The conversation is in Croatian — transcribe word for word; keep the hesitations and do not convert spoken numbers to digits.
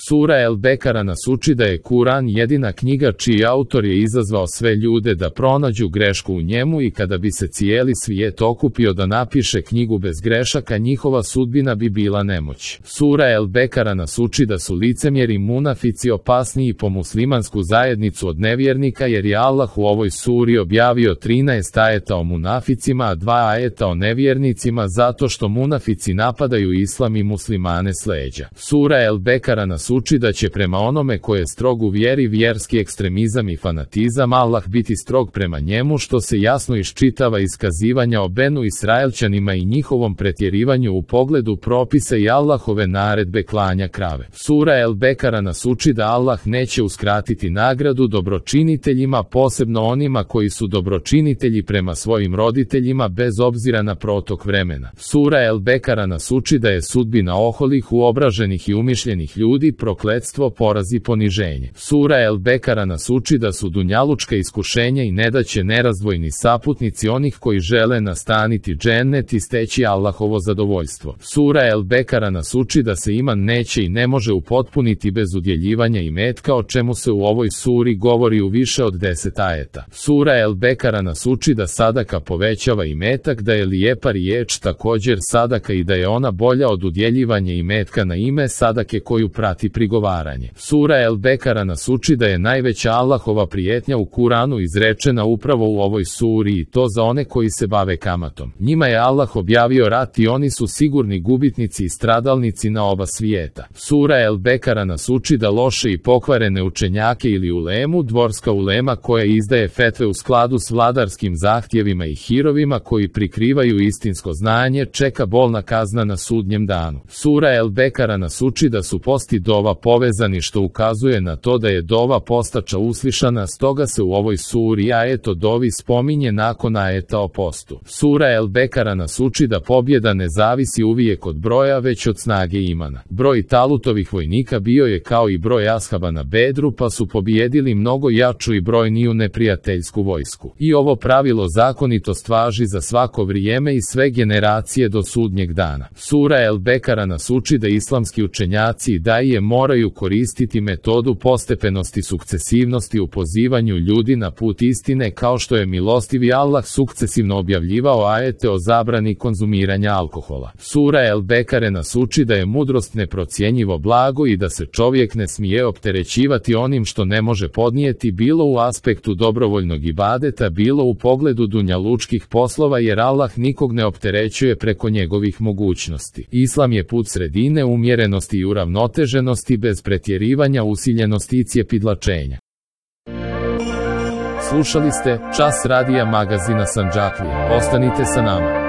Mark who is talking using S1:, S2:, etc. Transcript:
S1: Sura El Bekara nas uči da je Kuran jedina knjiga čiji autor je izazvao sve ljude da pronađu grešku u njemu i kada bi se cijeli svijet okupio da napiše knjigu bez grešaka, njihova sudbina bi bila nemoć. Sura El Bekara nas uči da su licemjeri munafici opasniji po muslimansku zajednicu od nevjernika, jer je Allah u ovoj suri objavio trinaest ajeta o munaficima, a dva ajeta o nevjernicima, zato što munafici napadaju islam i muslimane s leđa. Sura El Bekara nas uči da će prema onome ko je strog u vjeri, vjerski ekstremizam i fanatizam, Allah biti strog prema njemu, što se jasno iščitava iz kazivanja o Benu Israelčanima i njihovom pretjerivanju u pogledu propisa i Allahove naredbe klanja krave. Sura El Bekara nas uči da Allah neće uskratiti nagradu dobročiniteljima, posebno onima koji su dobročinitelji prema svojim roditeljima bez obzira na protok vremena. Sura El Bekara nas uči da je sudbina oholih, uobraženih i umišljenih ljudi prokletstvo, poraz i poniženje. Sura El Bekara nas uči da su dunjalučka iskušenja i nedaće nerazdvojni saputnici onih koji žele nastaniti džennet i steći Allahovo zadovoljstvo. Sura El Bekara nas uči da se iman neće i ne može upotpuniti bez udjeljivanja imetka, o čemu se u ovoj suri govori u više od deset ajeta. Sura El Bekara nas uči da sadaka povećava imetak, da je lijepa riječ također sadaka i da je ona bolja od udjeljivanja imetka na ime sadake koju prati prigovaranje. Sura El Bekara nas uči da je najveća Allahova prijetnja u Kuranu izrečena upravo u ovoj suri, i to za one koji se bave kamatom. Njima je Allah objavio rat i oni su sigurni gubitnici i stradalnici na oba svijeta. Sura El Bekara nas uči da loše i pokvarene učenjake ili ulemu, dvorska ulema koja izdaje fetve u skladu s vladarskim zahtjevima i hirovima koji prikrivaju istinsko znanje, čeka bolna kazna na sudnjem danu. Sura El Bekara nas uči da su post i dova povezani, što ukazuje na to da je dova postača uslišana, stoga se u ovoj suri ajet o dovi spominje nakon ajeta o postu. Sura El Bekara nas uči da pobjeda ne zavisi uvijek od broja, već od snage imana. Broj Talutovih vojnika bio je kao i broj ashaba na Bedru, pa su pobijedili mnogo jaču i brojniju neprijateljsku vojsku. I ovo pravilo zakonitost važi za svako vrijeme i sve generacije do sudnjeg dana. Sura El Bekara nas uči da islamski učenjaci i daije moraju koristiti metodu postepenosti, sukcesivnosti u pozivanju ljudi na put istine, kao što je milostivi Allah sukcesivno objavljivao ajete o zabrani konzumiranja alkohola. Sura El Bekare nas uči da je mudrost neprocjenjivo blago i da se čovjek ne smije opterećivati onim što ne može podnijeti, bilo u aspektu dobrovoljnog ibadeta, bilo u pogledu dunjalučkih poslova, jer Allah nikog ne opterećuje preko njegovih mogućnosti. Islam je put sredine, umjerenosti i uravnoteženosti, bez pretjerivanja, usiljenosti i cjepidlačenja. Slušali ste Čas radija magazina Sandžaklija. Ostanite sa nama.